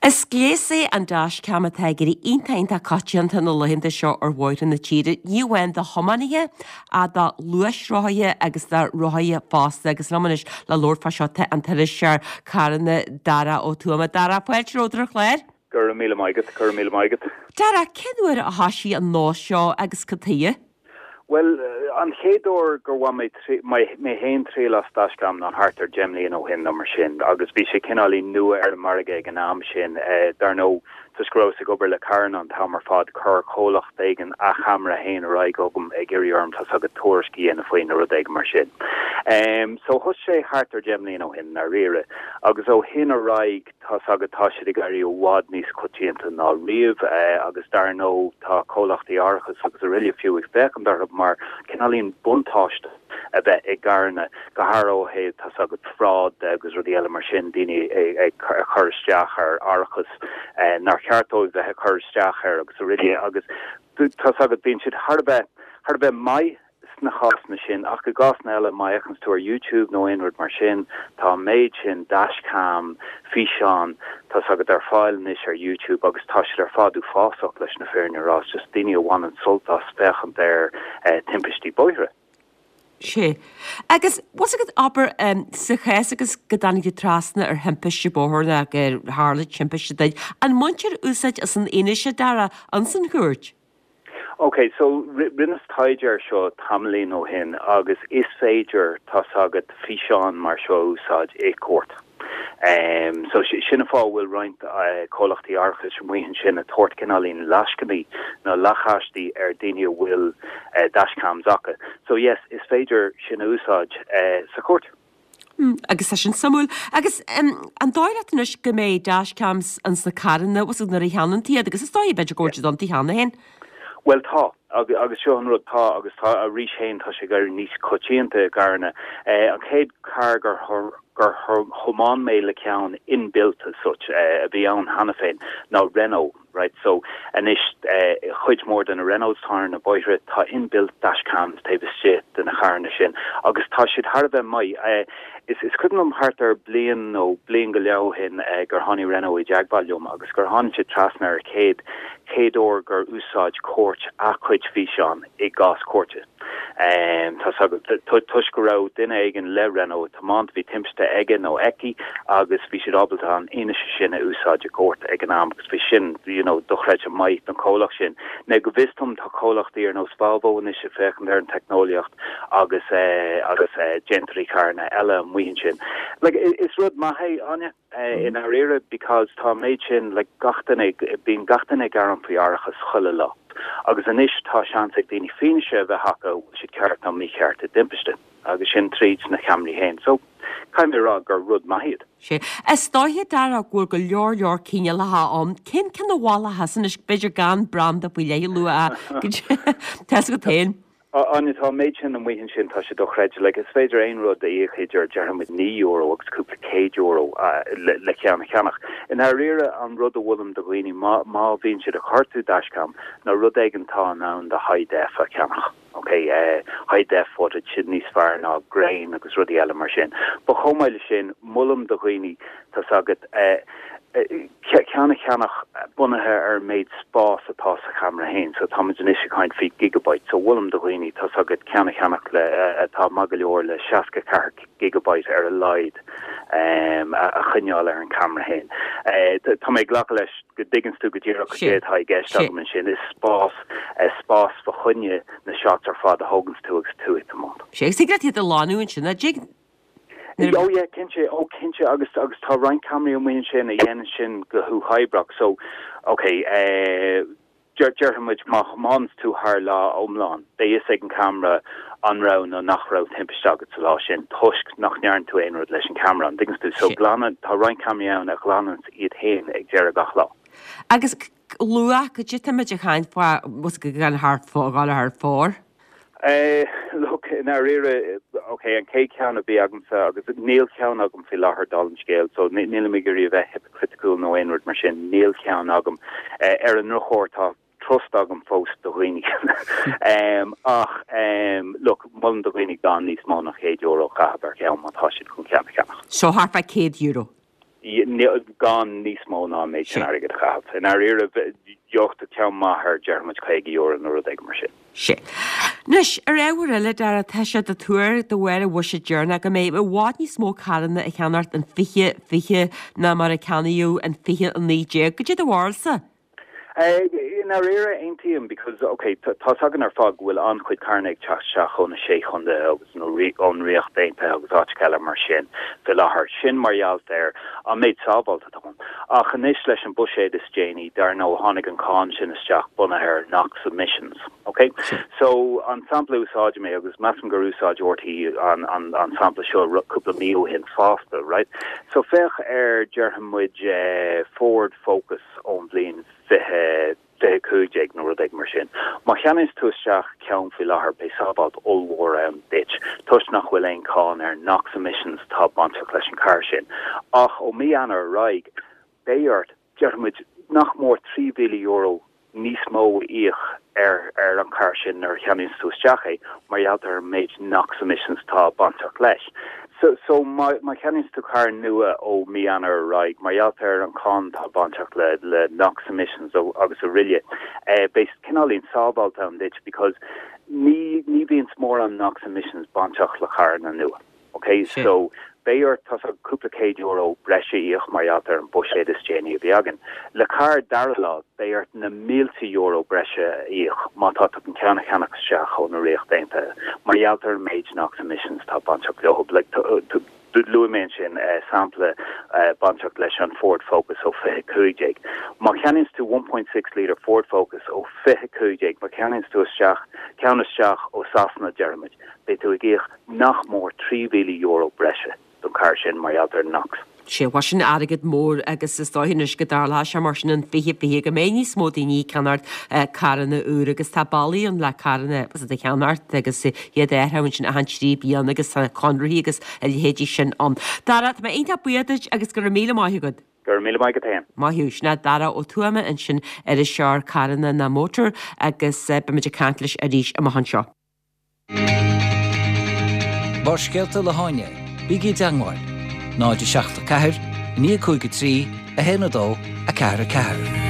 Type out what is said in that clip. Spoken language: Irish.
Is gléas é an dashcam atá ag éirí iontach iontach coitianta na laethanta seo ar bhóithre na tíre, ní amháin do thiománaithe ach do ghluaisrothaithe agus do rothaithe fosta. Agus liom anois le labhairt fá seo tá an t-iriseoir carranna Darach Ó Tuama. Darach, fáilte romhat ar an chlár. Go raibh míle maith agat, go raibh míle maith agat. Darach, cén uair a thoisigh an nós seo agus cad chuige? Bhuel, an chéad uair gur bhain mé mé féin triail as dashcam ná thart ar 10 mbliana ó shin nó mar sin agus bhí sé cineáilín nua ar an margadh ag an am sin. Dar ndóigh, toisc go rabhas ag obair le carranna an t-am ar fad, chuir comhlacht éigin a cheamara féin ar aghaidh chugam ag iarraidh orm, tá's agat, tuairisc a dhéanamh faoi nó rud éigin mar sin. So thosaigh sé thart ar 10 mbliana ó shin, i ndáiríre, agus ó shin ar aghaidh, Tá's agat, tá siad ag éirí i bhfad níos coitianta ná riamh agus dar ndóigh tá comhlachtaí árachais agus araile fiú ag féachaint orthu mar cineáilín buntáiste a bheith i gcarranna, go háirithe ó thaobh, tá's agat, fraud de agus rudaí eile mar sin, daoine ag cur isteach ar árachas nár cheart dóibh bheith ag cur isteach air agus araile agus tá's agat, bíonn siad thar a bheith, thar a bheith maith. sna cásanna sin, ach i gcásanna eile, má fhéachanns tú ar YouTube nó aon rud mar sin, tá an méid sin dashcam, físeán, tá's agat, ar fáil anois ar YouTube agus tá siad ar fad uafásach leis na fírinne a rá, it's just daoine a bhaineann sult as féachaint ar timpistí bóithre. Sea. Agus, bhfuil 's agat, abair, sa chás agus go dtáinig tú trasna ar thimpiste bóthair nó gur tharla timpiste duit, an mbaintear úsáid as an fhianaise, Dara, ins an chúirt? Ok, so rinneas taighde ar seo tamaillín ó shin agus is féidir, tá's agat, físeáin mar seo a úsáid i gcúirt. Em, so sin an fáth a bhfuil roinnt comhlachtaí árachais amuigh ansin ag tabhairt cineáilín lascainí nó lacáistí ar daoine a bhfuil dashcams acu. So yes, is féidir sin a úsáid sa chúirt. Agus tá sin suimiúil. Agus an dóigh leat anois go mbeidh dashcams ins na carranna, bhfuil 's agat, nuair a cheannaíonn tú iad, agus is dóigh b'fhéidir go bhfuil siad iontu cheana féin? Bhuel tá, agus seo an rud, tá agus tá arís féin tá sé ag éirí níos coitianta i gcarranna. An chéad carr gur gur thiomáin mé le ceann inbuilt as such a bhí ann cheana féin ná Renault. Right so anois cuid mhór de na Renaults atá ar na bóithre tá inbuilt dashcams taobh istigh de na carranna sin agus tá siad thar a bheith maith. Is is cuimhin liom thart ar bliain nó bliain go leith ó shin gur tháinig Renault i dteagmháil liom agus gur tháinig siad trasna ar an chéad chéad uair gur úsáid cúirt a cuid físeán i gcás cúirte. Tá's agat, toisc go raibh duine éigin le Renault ag tiomáint, bhí timpiste aige nó aici agus bhí siad ábalta an fhianaise sin a úsáid i gcúirt ag an am agus bhí sin, you know, dochreidte maith don chomhlacht sin. Now go bhfios dom tá comhlachtaí ar nós Volvo anois ag féachaint ar an teicneolaíocht agus agus déantóirí carranna eile amuigh ansin. Like, is rud maith é, Áine. I ndáiríre because tá an méid sin like gach duine, bíonn gach duine ag gearán faoi árachas chuile lá agus anois tá seans ag daoine fianaise a bheith acu an bhfuil siad ceart nó mícheart i dtimpiste agus sin tríd na ceamaraí féin. So caithfidh mé a rá gur rud maith iad. Sea. Is dóiche, Dara, go bhfuil go leor leor cineálacha ann. Cén ceann a mholfá anois, b'fhéidir gan branda faoi leith a lua ach tá's agat féin. Áine, tá an méid sin amuigh ansin, tá sé dochreidte. Like, is féidir aon rud a íoc idir, déarfaidh muid, €9 agus cúpla céad euro le ceann a cheannach. I ndáiríre, an rud a mholaim do dhaoine, má, má bhíonn siad ag cuartú dashcam, ná rud éigin atá in ann do high def a cheannach. Ok, high def footage, sin níos fearr ná grain agus rudaí eile mar sin. But chomh maith le sin, molaim do dhaoine, tá's agat, ceann a cheannach bunaithe ar an méid spás atá sa cheamara féin. So táimid anois ag caint faoi gigabyte. So molaim do dhaoine, tá's agat, ceann a cheannach le, atá maith go leor le 64 gigabyte ar a laghad a choinneáil ar an cheamara féin. Tá mé ag glacadh leis go dtuigeanns tú go díreach cad é atá i gceist agam ansin. Is spás, spás fa choinne na shots ar fad a thóganns tú agus tú ag tiomáint. Sea, agus thig leat iad a ghlanadh ansin, a dtig? Oh yeah, cinnte, oh cinnte agus agus tá roinnt ceamaraí amuigh ansin a dhéanann sin go huathoibreach so ok eh déarfaidh muid má thiomáineanns tú thar lá iomlán beidh fhios ag an cheamara an raibh nó nach raibh timpiste agat sa lá sin toisc nach ndearna tú aon rud leis an cheamara, an dtuigeanns tú? So glanann, tá roinnt ceamaraí ann a ghlananns iad féin ag deireadh gach lá. Agus luach, cad é táimid ag caint fá, bhfuil 's agat gan thar, dhul thar fóir? Eh, look, i ndáiríre, ok, an chéad cheann a bhí agamsa, agus níl ceann agam faoi láthair dála an scéil, so nílim ag iarraidh a bheith hipicriticúil nó aon rud mar sin, níl ceann agam. Eh, ar an ndrochuair, tá trust agam fós do dhaoine. Em, ach, em, look, molaim do dhaoine gan níos mó ná €100 a chaitheamh ar cheann má tá siad chun ceann a cheannach. So thart fá €100. Gan níos mó ná an méid sin airgid a chaitheamh. I ndáiríre, gheobhaidh tú ceann maith ar, déarfaidh muid, €50 nó rud éigin mar sin. Sea. Anois, ar ábhar eile, Dara, tá sé de tuar de bharr an bhuiséid deireanach go mbeidh i bhfad níos mó carranna á cheannacht in 2020 ná mar a ceannaíodh in 2019. Goidé do bharúilsa? I ndáiríre, aontaím because, ok, tá's againn ar fad go bhfuil an-chuid carranna ag teacht isteach ó na Sé Chontae agus nó ón Ríocht Aontaithe agus áiteacha eile mar sin fé láthair. Sin mar gheall ar an méid sábháilte atá ann. Ach anois leis an buiséad is déanaí, dar ndóigh, tháinig an cáin sin isteach bunaithe ar NOx emissions. Ok? So, an sampla a úsáidim mé, agus measaim gur úsáid RTÉ an, an, an sampla seo cúpla mí ó shin fosta, right? So féach ar, déarfaidh muid, Ford Focus, ón bhliain 2015 nó rud éigin mar sin. Má cheannaíonns tú isteach ceann faoi láthair beidh sábháilt ollmhór ann duit toisc nach bhfuil aon cáin ar NOx emissions atá bainteach leis an carr sin. Ach ó mí Eanáir ar aghaidh beidh ort, déarfaidh muid, nach mór €3,000 níos mó a íoc ar ar an charr sin nuair a cheannaíonns tú isteach é mar gheall ar an méid NOx emissions atá bainteach leis. So so má má cheannaíonns tú carr nua ó mí Eanáir ar aghaidh mar gheall ar an cháin atá bainteach le le NOx emissions agus araile eh beidh cineáilín sábháilt ann duit because ní ní bhíonns mórán NOx emissions bainteach le carranna nua. Ok, so beidh ort, tá's agat, cúpla céad euro breise a íoc mar gheall ar an buiséad is déanaí a bhí againn. Le carr dara láimh, beidh ort na mílte euro breise a íoc má tá tú chun ceann a cheannach isteach ó na Ríocht Aontaithe mar gheall ar an méid NOx emissions atá bainteach leo. Like, luaigh mé ansin sampla bainteach leis an Ford Focus ó 2015. Má cheannaíonns tú 1.6 litre Ford Focus ó 2015, má cheannaíonns tú isteach, ceann isteach ó Sasana, déarfaimid, beidh tú ag íoc nach mór €3,000 breise don charr sin mar gheall ar NOx. Sea, bhuel sin airgead mór agus is dóigh anois go dtarlóidh sé mar sin in 2020 go mbeidh níos mó daoine ag ceannacht carranna úra agus tá bealaí ann le carranna a cheannacht agus iad a athrú ansin achan 3 bliana agus tá conarthaí agus a leithéidí sin ann. Dara, tá mé iontach buíoch duit agus go raibh míle maith agat. Go raibh míle maith agat féin. Maith thú. Sin é Dara Ó Tuama ansin, iriseoir carranna ná Motor agus beimid ag caint leis arís amach anseo. Barrscéalta le hÁine, bígí i dteangmháil, 0 7 4 9 5 3 1 2 4 4.